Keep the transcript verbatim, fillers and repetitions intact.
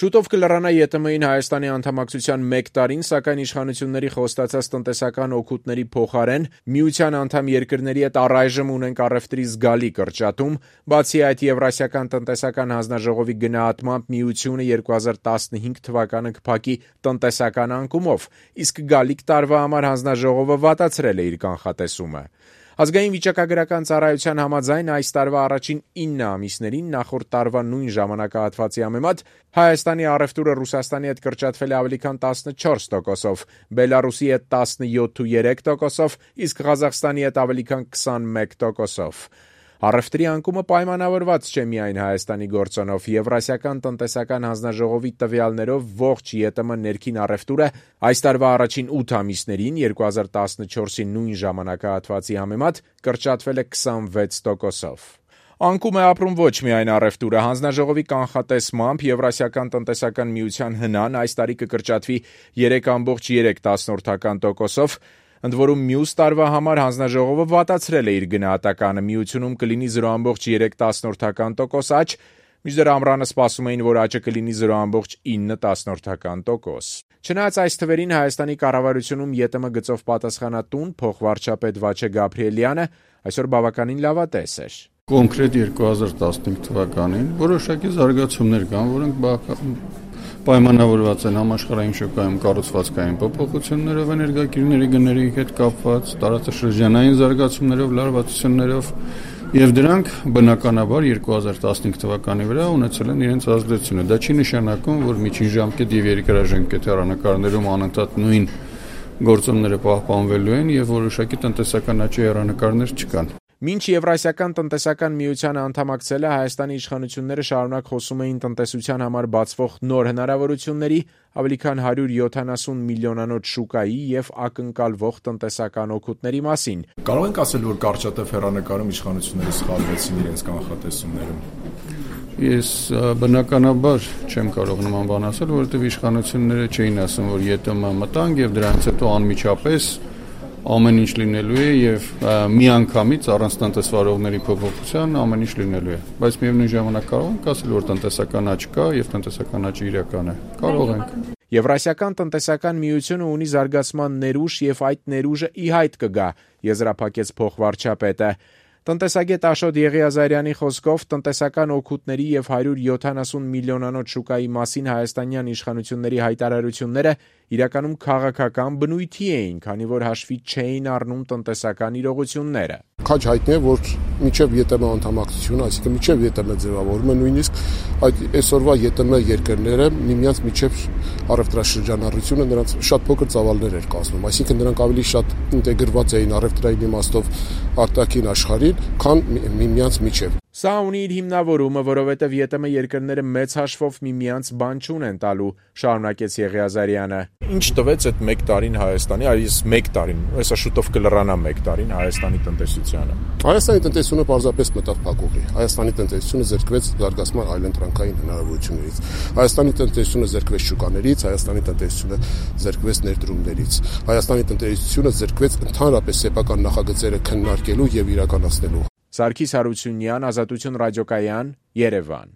Շուտով կլրանա ԵՏՄ-ին Հայաստանի անդամակցության մեկ տարին, սակայն իշխանությունների խոստացած տնտեսական օգուտների փոխարեն միության անդամ երկրների հետ առայժմ ունենք առևտրի զգալի կրճատում, բացի այդ Եվրասիական տնտեսական հանձնաժողովի գնահատմամբ միությունը երկու հազար տասնհինգ թվականը կփակի տնտեսական անկումով, իսկ գալիք տարվա համար հանձնաժողովը վատացրել է իր կանխատեսումը։ Ազգային վիճակագրական ծառայության համաձայն այս տարվա առաջին ինը ամիսներին նախորդ տարվա նույն ժամանակահատվածի համեմատ Հայաստանի առևտուրը Ռուսաստանի հետ կրճատվել է ավելի քան տասնչորս տոկոսով, Բելարուսի հետ տասնյոթ կόμμα երեք տոկոսով, իսկ Ղազախստանի հետ ավելի քան քսանմեկ տոկոսով։ Առևտրի անկումը պայմանավորված չէ միայն Հայաստանի գործոնով։ Եվրասիական տնտեսական հանձնաժողովի տվյալներով ողջ ԵՏՄ ներքին առևտուրը այս տարվա առաջին ութ ամիսներին երկու հազար տասնչորսի նույն ժամանակահատվածի համեմատ կրճատվել է քսանվեց տոկոսով։ Անկում է ապրում ոչ միայն առևտուրը, հանձնաժողովի կանխատեսմամբ Եվրասիական տնտեսական միության հնան այս տարի կկրճատվի երեք կόμma երեք տոկոսով, ընդ որում մյուս տարվա համար հանձնաժողովը վատացրել է իր գնահատականը, միությունում կլինի զրո կόμma երեք տոկոս աճ, մինչդեռ ամռանը սպասում էին, որ աճը կլինի զրո կόμma ինը տոկոս։ Չնայած այս թվերին Հայաստանի կառավարությունում ԵՏՄ գծով պատասխանատուն փոխվարչապետ Վաչե Գաբրիելյանը այսօր բավականին լավատես էր։ Կոնկրետ երկու հազար տասնհինգ թվականին որոշակի զարգացումներ կան, որոնք պայմանավորված են համաշխարհային շուկայում կառուցվածքային փոփոխություններով, էներգակիրների գների հետ կապված, տարածաշրջանային զարգացումներով, լարվածություններով, եւ դրանք բնականաբար երկու հազար տասնհինգ թվականի վրա ունեցել են իրենց ազդեցությունը։ Դա չի նշանակում, որ միջին ժամկետ եւ երկարաժամկետ հեռանկարներում անընդհատ նույն գործոնները պահպանվելու են եւ որոշակի տնտեսական աճի հեռանկարներ չկան։ Մինչ Եվրասիական տնտեսական միությանը անդամակցելը Հայաստանի իշխանությունները շարունակ խոսում էին տնտեսության համար բացվող նոր հնարավորությունների, ավելի քան հարյուր յոթանասուն միլիոնանոց շուկայի եւ ակնկալվող տնտեսական օգուտների մասին։ Կարող ենք ասել, որ կարճատև հեռանկարում իշխանությունները սխալվեցին իրենց կանխատեսումներում։ Ես բնականաբար չեմ կարող նման բան ասել, որովհետեւ իշխանությունները չէին ասում, որ ԵՏՄ մտանք եւ դրանից հետո անմիջապես ամեն ինչ լինելու է եւ միանգամից առանց տնտեսվարողների փոփոխության ամեն ինչ լինելու է, բայց միևնույն ժամանակ կարող ենք ասել, որ տնտեսական աճ կա եւ տնտեսական աճը իրական է։ Կարող ենք։ Եվրասիական տնտեսական միությունը ունի զարգացման ներուժ եւ այդ ներուժը ի հայտ կգա, եզրափակեց փոխվարչապետը։ Տնտեսագետ Աշոտ Եղիազարյանի խոսքով տնտեսական օգուտների եւ հարյուր յոթանասուն միլիոնանոց շուկայի մասին հայաստանյան իշխանությունների հայտարարությունները իրականում քաղաքական բնույթի էին, քանի որ հաշվի չէին առնում տնտեսական իրողությունները։ Քաջ հայտնի է, որ միջև ԵՏՄ անդամակցությունը, այսինքն միջև ԵՏՄ ձևավորումը նույնիսկ այդ այսօրվա ԵՏՄ երկրները միմյանց միջև առևտրաշրջանառությունը նրանց շատ փոքր ծավալներ էր կազմում, այսինքն նրանք ավելի շատ ինտեգրված էին առևտրային իմաստով արտաքին աշխարհին, քան միմյանց միջև։ Սա ունի իր հիմնավորումը, որովհետև ԵՏՄ երկրները մեծ հաշվով միմյանց բան չունեն տալու, շարունակեց Եղիազարյանը։ Ինչ տվեց այդ մեկ տարին Հայաստանի, այս մեկ տարին, հեսա շուտով կլրանա մեկ տարին Հայաստանի տնտեսությանը։ Հայաստանի տնտեսությունը պարզապես մտավ փակուղի։ Հայաստանի տնտեսությունը զրկվեց զարգացման այլընտրանքային հնարավորություններից։ Հայաստանի տնտեսությունը զրկվեց շուկաներից, Հայաստանի տնտեսությունը զրկվեց ներդրումներից։ Հայաստանի տնտեսությունը զրկվեց ընդհանրապես սեփական նախագծերը քննարկելու եւ իրականացնելու։ Սարգիս Հարությունյան, Ազատություն ռադիոկայան, Երևան։